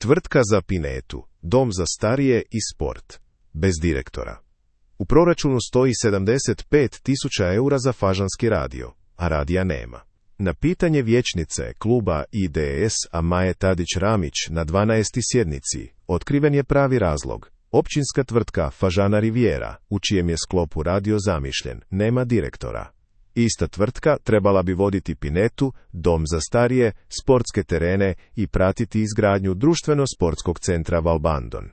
Tvrtka za Pinetu, dom za starije i sport. Bez direktora. U proračunu stoji 75.000 eura za fažanski radio, a radija nema. Na pitanje vijećnice kluba IDS-a Maje Tadić-Ramić na 12. sjednici otkriven je pravi razlog. Općinska tvrtka Fažana Riviera, u čijem je sklopu radio zamišljen, nema direktora. Ista tvrtka trebala bi voditi Pinetu, dom za starije, sportske terene i pratiti izgradnju društveno-sportskog centra Valbandon.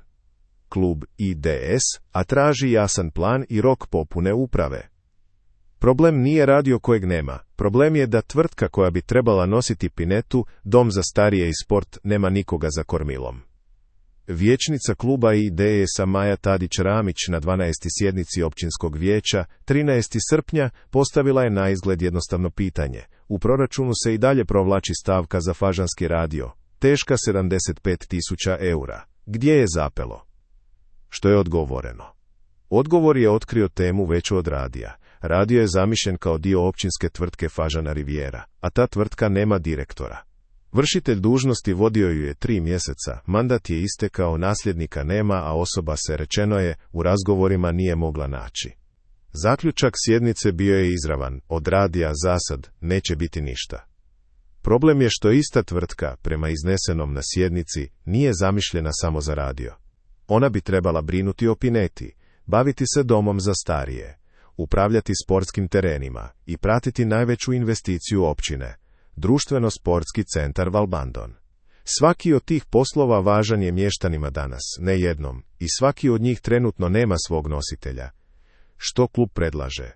Klub IDS-a traži jasan plan i rok popune uprave. Problem nije radio kojeg nema, problem je da tvrtka koja bi trebala nositi Pinetu, dom za starije i sport, nema nikoga za kormilom. Vijećnica kluba IDS-a Maja Tadić-Ramić na 12. sjednici općinskog vijeća 13. srpnja postavila je naizgled jednostavno pitanje. U proračunu se i dalje provlači stavka za fažanski radio, teška 75.000 eura. Gdje je zapelo? Što je odgovoreno? Odgovor je otkrio temu veću od radija. Radio je zamišljen kao dio općinske tvrtke Fažana Riviera, a ta tvrtka nema direktora. Vršitelj dužnosti vodio ju je 3 mjeseca, mandat je istekao, nasljednika nema, a osoba se, rečeno je, u razgovorima nije mogla naći. Zaključak sjednice bio je izravan, od radija zasad neće biti ništa. Problem je što ista tvrtka, prema iznesenom na sjednici, nije zamišljena samo za radio. Ona bi trebala brinuti o Pineti, baviti se domom za starije, upravljati sportskim terenima i pratiti najveću investiciju općine, društveno-sportski centar Valbandon. Svaki od tih poslova važan je mještanima danas, ne jednom, i svaki od njih trenutno nema svog nositelja. Što klub predlaže?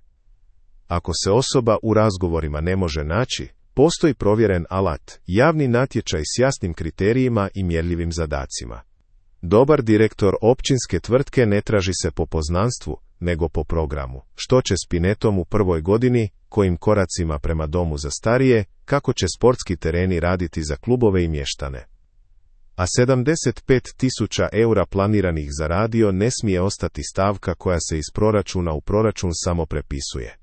Ako se osoba u razgovorima ne može naći, postoji provjeren alat, javni natječaj s jasnim kriterijima i mjerljivim zadacima. Dobar direktor općinske tvrtke ne traži se po poznanstvu, nego po programu. Što će s Pinetom u prvoj godini, kojim koracima prema domu za starije, kako će sportski tereni raditi za klubove i mještane. A 75.000 eura planiranih za radio ne smije ostati stavka koja se iz proračuna u proračun samo prepisuje.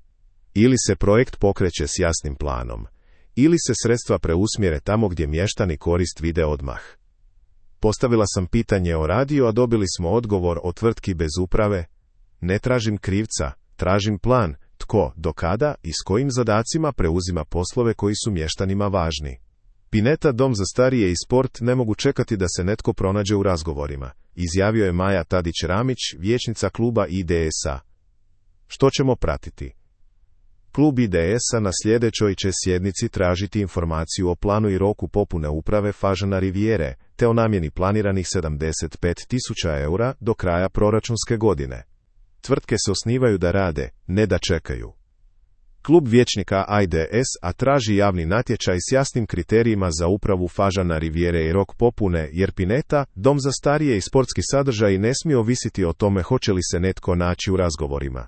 Ili se projekt pokreće s jasnim planom, ili se sredstva preusmjere tamo gdje mještani korist vide odmah. Postavila sam pitanje o radiju, a dobili smo odgovor o tvrtki bez uprave. Ne tražim krivca, tražim plan, tko, do kada i s kojim zadacima preuzima poslove koji su mještanima važni. Pineta, dom za starije i sport ne mogu čekati da se netko pronađe u razgovorima, izjavio je Maja Tadić-Ramić, vijećnica kluba IDS-a. Što ćemo pratiti? Klub IDS-a na sljedećoj će sjednici tražiti informaciju o planu i roku popune uprave Fažana Riviere, te o namjeni planiranih 75.000 eura do kraja proračunske godine. Tvrtke se osnivaju da rade, ne da čekaju. Klub vijećnika IDS-a traži javni natječaj s jasnim kriterijima za upravu Fažana Riviere i rok popune, jer Pineta, dom za starije i sportski sadržaji ne smije ovisiti o tome hoće li se netko naći u razgovorima.